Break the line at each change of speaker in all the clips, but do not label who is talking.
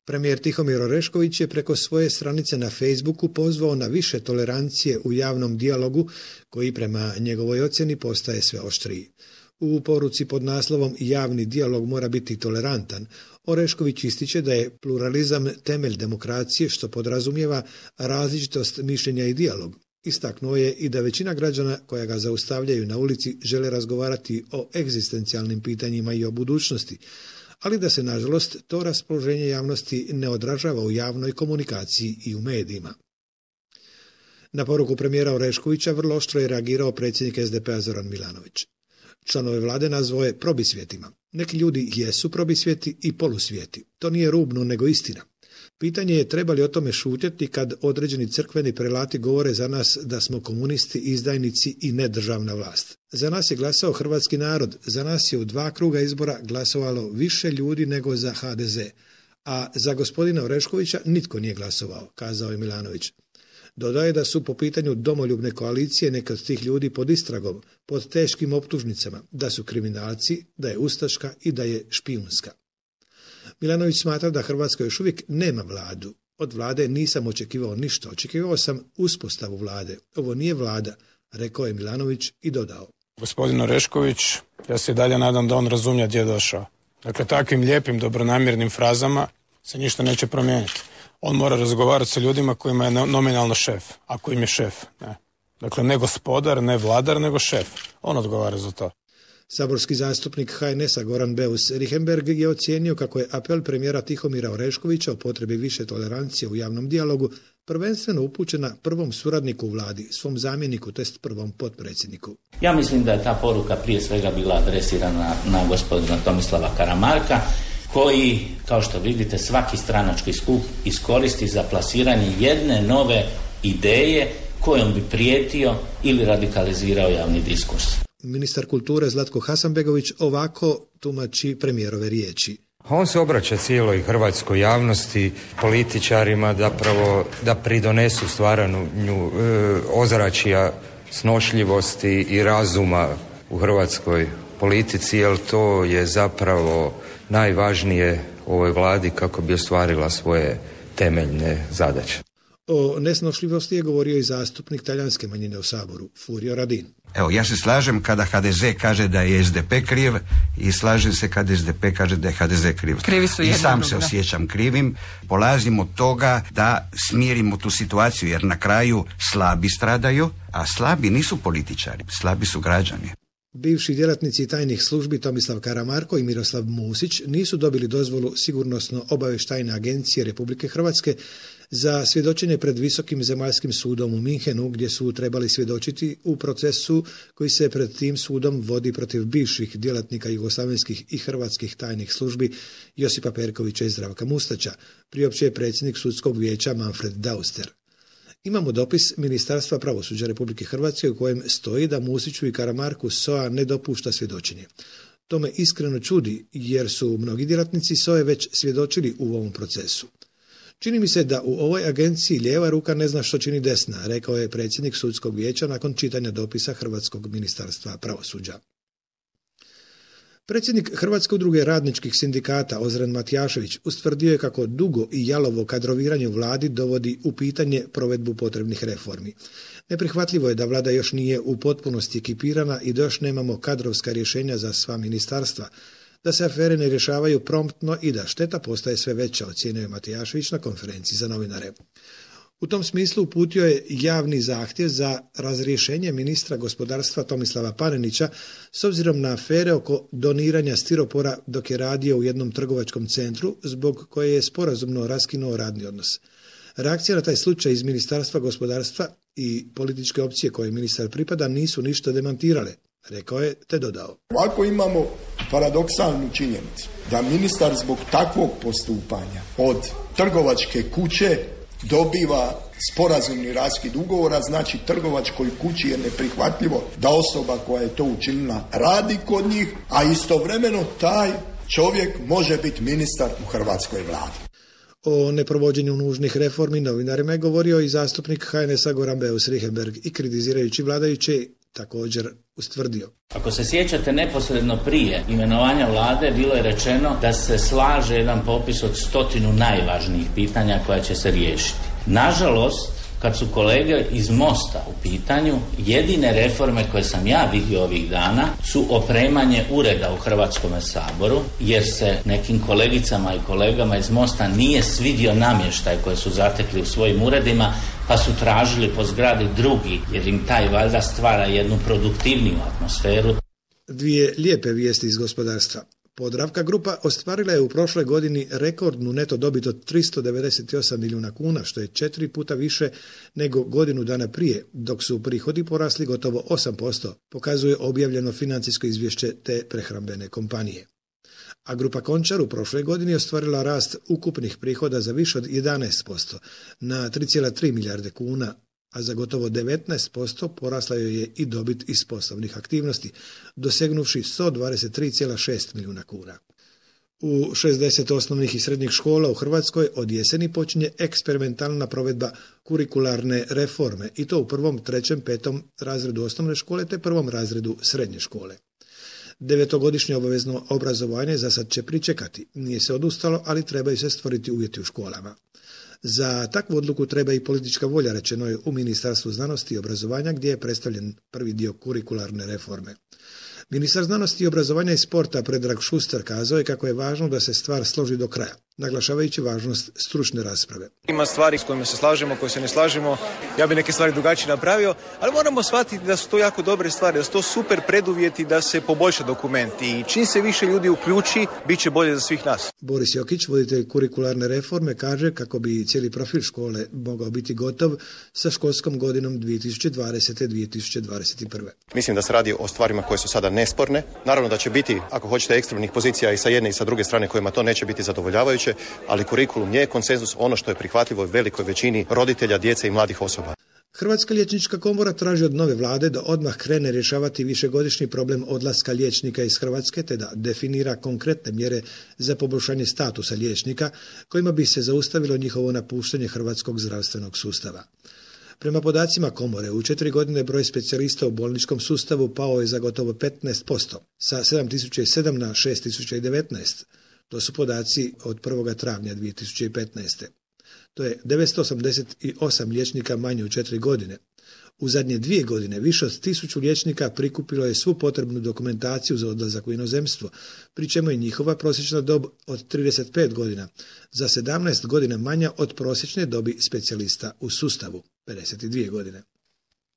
Premijer Tihomir Orešković je preko svoje stranice na Facebooku pozvao na više tolerancije u javnom dijalogu koji prema njegovoj ocjeni postaje sve oštriji. U poruci pod naslovom Javni dijalog mora biti tolerantan, Orešković ističe da je pluralizam temelj demokracije što podrazumijeva različitost mišljenja i dijalog. Istaknuo je i da većina građana koja ga zaustavljaju na ulici žele razgovarati o egzistencijalnim pitanjima i o budućnosti, ali da se, nažalost, to raspoloženje javnosti ne odražava u javnoj komunikaciji i u medijima. Na poruku premijera Oreškovića vrlo oštro je reagirao predsjednik SDP-a Zoran Milanović. Članove vlade nazvao je probisvjetima. Neki ljudi jesu probisvjeti i polusvijeti. To nije rubno, nego istina. Pitanje je treba li o tome šutjeti kad određeni crkveni prelati govore za nas da smo komunisti, izdajnici i nedržavna vlast. Za nas je glasao hrvatski narod, za nas je u 2 kruga izbora glasovalo više ljudi nego za HDZ, a za gospodina Oreškovića nitko nije glasovao, kazao je Milanović. Dodao je da su po pitanju domoljubne koalicije neke od tih ljudi pod istragom, pod teškim optužnicama, da su kriminalci, da je ustaška i da je špijunska. Milanović smatra da Hrvatska još uvijek nema vladu. Od vlade nisam očekivao ništa, očekivao sam uspostavu vlade. Ovo nije vlada, rekao je Milanović i dodao.
Gospodin Orešković, ja se i dalje nadam da on razumije gdje je došao. Dakle, takvim lijepim, dobronamjernim frazama se ništa neće promijeniti. On mora razgovarati sa ljudima kojima je nominalno šef, ako im je šef. Ne. Dakle, ne gospodar, ne vladar, nego šef. On odgovara za to.
Saborski zastupnik HNS-a Goran Beus Richembergh je ocijenio kako je apel premijera Tihomira Oreškovića o potrebi više tolerancije u javnom dijalogu prvenstveno upućena prvom suradniku u vladi, svom zamjeniku, tj. prvom potpredsjedniku.
Ja mislim da je ta poruka prije svega bila adresirana na gospodina Tomislava Karamarka, koji, kao što vidite, svaki stranački skup iskoristi za plasiranje jedne nove ideje kojom bi prijetio ili radikalizirao javni diskurs.
Ministar kulture Zlatko Hasanbegović ovako tumači premijerove riječi.
On se obraća cijeloj hrvatskoj javnosti, političarima da pridonesu stvaranju ozračja snošljivosti i razuma u hrvatskoj politici, jer to je zapravo najvažnije ovoj vladi kako bi ostvarila svoje temeljne zadaće.
O nesnošljivosti je govorio i zastupnik talijanske manjine u Saboru, Furio Radin.
Evo, ja se slažem kada HDZ kaže da je SDP kriv i slažem se kada SDP kaže da je HDZ kriv. I sam se osjećam krivim. Polazim od toga da smirimo tu situaciju, jer na kraju slabi stradaju, a slabi nisu političari, slabi su građani.
Bivši djelatnici tajnih službi Tomislav Karamarko i Miroslav Musić nisu dobili dozvolu Sigurnosno-obavještajne agencije Republike Hrvatske za svjedočenje pred Visokim zemaljskim sudom u Minhenu, gdje su trebali svjedočiti u procesu koji se pred tim sudom vodi protiv bivših djelatnika jugoslavenskih i hrvatskih tajnih službi Josipa Perkovića i Zdravka Mustača, priopćio je predsjednik sudskog vijeća Manfred Dauster. Imamo dopis Ministarstva pravosuđa Republike Hrvatske u kojem stoji da Musiću i Karamarku SOA ne dopušta svjedočenje. To me iskreno čudi jer su mnogi djelatnici SOA već svjedočili u ovom procesu. Čini mi se da u ovoj agenciji lijeva ruka ne zna što čini desna, rekao je predsjednik sudskog vijeća nakon čitanja dopisa Hrvatskog ministarstva pravosuđa. Predsjednik Hrvatske udruge radničkih sindikata Ozren Matijašević ustvrdio je kako dugo i jalovo kadroviranje u vladi dovodi u pitanje provedbu potrebnih reformi. Neprihvatljivo je da vlada još nije u potpunosti ekipirana i da još nemamo kadrovska rješenja za sva ministarstva, da se afere ne rješavaju promptno i da šteta postaje sve veća, ocijenio je Matijašević na konferenciji za novinare. U tom smislu uputio je javni zahtjev za razrješenje ministra gospodarstva Tomislava Panenića s obzirom na afere oko doniranja stiropora dok je radio u jednom trgovačkom centru zbog koje je sporazumno raskinuo radni odnos. Reakcija na taj slučaj iz Ministarstva gospodarstva i političke opcije koje ministar pripada nisu ništa demantirale, rekao je te dodao.
Ovako imamo paradoksalnu činjenicu da ministar zbog takvog postupanja od trgovačke kuće dobiva sporazumni raskid ugovora, znači trgovačkoj kući je neprihvatljivo da osoba koja je to učinila radi kod njih, a istovremeno taj čovjek može biti ministar u hrvatskoj vladi.
O neprovođenju nužnih reformi novinarima je govorio i zastupnik HNS-a Goran Beus Richembergh i kritizirajući vladajuće također ustvrdio.
Ako se sjećate, neposredno prije imenovanja vlade bilo je rečeno da se slaže jedan popis od 100 najvažnijih pitanja koja će se riješiti. Nažalost, kad su kolege iz Mosta u pitanju, jedine reforme koje sam ja vidio ovih dana su opremanje ureda u Hrvatskom saboru, jer se nekim kolegicama i kolegama iz Mosta nije svidio namještaj koje su zatekli u svojim uredima, pa su tražili po zgradi drugi, jer im taj valjda stvara jednu produktivniju atmosferu.
Dvije lijepe vijesti iz gospodarstva. Podravka grupa ostvarila je u prošloj godini rekordnu neto dobit od 398 milijuna kuna, što je 4 puta više nego godinu dana prije, dok su prihodi porasli gotovo 8%, pokazuje objavljeno financijsko izvješće te prehrambene kompanije. A grupa Končar u prošloj godini ostvarila rast ukupnih prihoda za više od 11%, na 3,3 milijarde kuna, a za gotovo 19% porasla joj je i dobit iz poslovnih aktivnosti, dosegnuvši 123,6 milijuna kuna. U 60 osnovnih i srednjih škola u Hrvatskoj od jeseni počinje eksperimentalna provedba kurikularne reforme, i to u 1., 3., 5. razredu osnovne škole te 1. razredu srednje škole. 9-godišnje obavezno obrazovanje za sad će pričekati. Nije se odustalo, ali trebaju se stvoriti uvjeti u školama. Za takvu odluku treba i politička volja, rečeno je u Ministarstvu znanosti i obrazovanja, gdje je predstavljen prvi dio kurikularne reforme. Ministar znanosti i obrazovanja i sporta Predrag Šuster kazao je kako je važno da se stvar složi do kraja, naglašavajući važnost stručne rasprave.
Ima stvari s kojima se slažemo, koje se ne slažemo. Ja bi neke stvari drugačije napravio, ali moramo shvatiti da su to jako dobre stvari, da su to super preduvjeti da se poboljša dokument i čim se više ljudi uključi, bit će bolje za svih nas.
Boris Jokić, voditelj kurikularne reforme, kaže kako bi cijeli profil škole mogao biti gotov sa školskom godinom 2020-2021.
Mislim da se radi o stvarima koje su sada nesporne. Naravno da će biti, ako hoćete, ekstremnih pozicija i sa jedne i sa druge strane kojima to neće biti zadovoljavajuće, ali kurikulum je konsenzus, ono što je prihvatljivo velikoj većini roditelja, djece i mladih osoba.
Hrvatska liječnička komora traži od nove vlade da odmah krene rješavati višegodišnji problem odlaska liječnika iz Hrvatske, te da definira konkretne mjere za poboljšanje statusa liječnika, kojima bi se zaustavilo njihovo napuštanje hrvatskog zdravstvenog sustava. Prema podacima komore, u 4 godine broj specijalista u bolničkom sustavu pao je za gotovo 15%, sa 7007 na 6019. To su podaci od 1. travnja 2015. To je 988 liječnika manje u 4 godine. U zadnje 2 godine više od 1000 liječnika prikupilo je svu potrebnu dokumentaciju za odlazak u inozemstvo, pri čemu je njihova prosječna dob od 35 godina, za 17 godina manja od prosječne dobi specijalista u sustavu, 52 godine.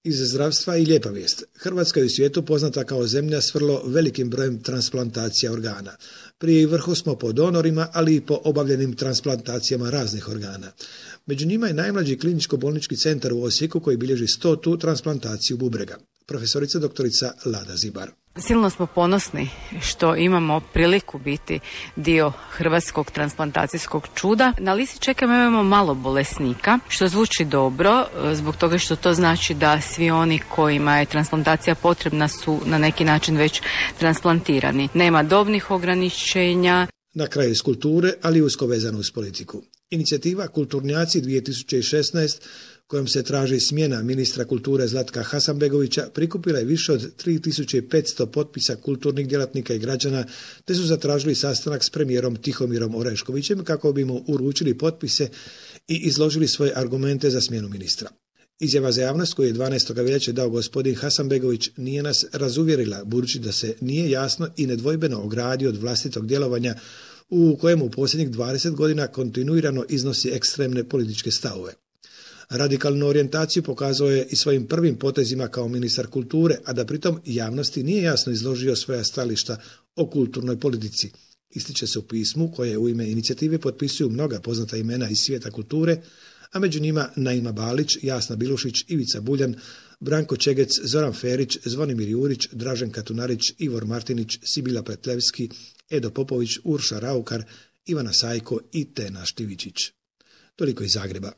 Iz zdravstva i lijepa vijest. Hrvatska je u svijetu poznata kao zemlja s vrlo velikim brojem transplantacija organa. Pri vrhu smo po donorima, ali i po obavljenim transplantacijama raznih organa. Među njima je najmlađi kliničko-bolnički centar u Osijeku koji bilježi 100. transplantaciju bubrega. Profesorica doktorica Lada Zibar.
Silno smo ponosni što imamo priliku biti dio hrvatskog transplantacijskog čuda. Na listi čekamo imamo malo bolesnika, što zvuči dobro, zbog toga što to znači da svi oni kojima je transplantacija potrebna su na neki način već transplantirani. Nema dobnih ograničenja.
Na kraju iz kulture, ali usko vezano uz politiku. Inicijativa Kulturnjaci 2016, kojom se traži smjena ministra kulture Zlatka Hasanbegovića, prikupila je više od 3500 potpisa kulturnih djelatnika i građana, te su zatražili sastanak s premijerom Tihomirom Oreškovićem kako bi mu uručili potpise i izložili svoje argumente za smjenu ministra. Izjava za javnost koju je 12. veljače dao gospodin Hasanbegović nije nas razuvjerila, budući da se nije jasno i nedvojbeno ogradio od vlastitog djelovanja u kojemu u posljednjih 20 godina kontinuirano iznosi ekstremne političke stavove. Radikalnu orijentaciju pokazao je i svojim prvim potezima kao ministar kulture, a da pritom javnosti nije jasno izložio svoja stajališta o kulturnoj politici. Ističe se u pismu koje u ime inicijative potpisuju mnoga poznata imena iz svijeta kulture, a među njima Naima Balić, Jasna Bilušić, Ivica Buljan, Branko Čegec, Zoran Ferić, Zvonimir Jurić, Dražen Katunarić, Ivor Martinić, Sibila Petlevski, Edo Popović, Urša Raukar, Ivana Sajko i Tena Štivičić. Toliko iz Zagreba.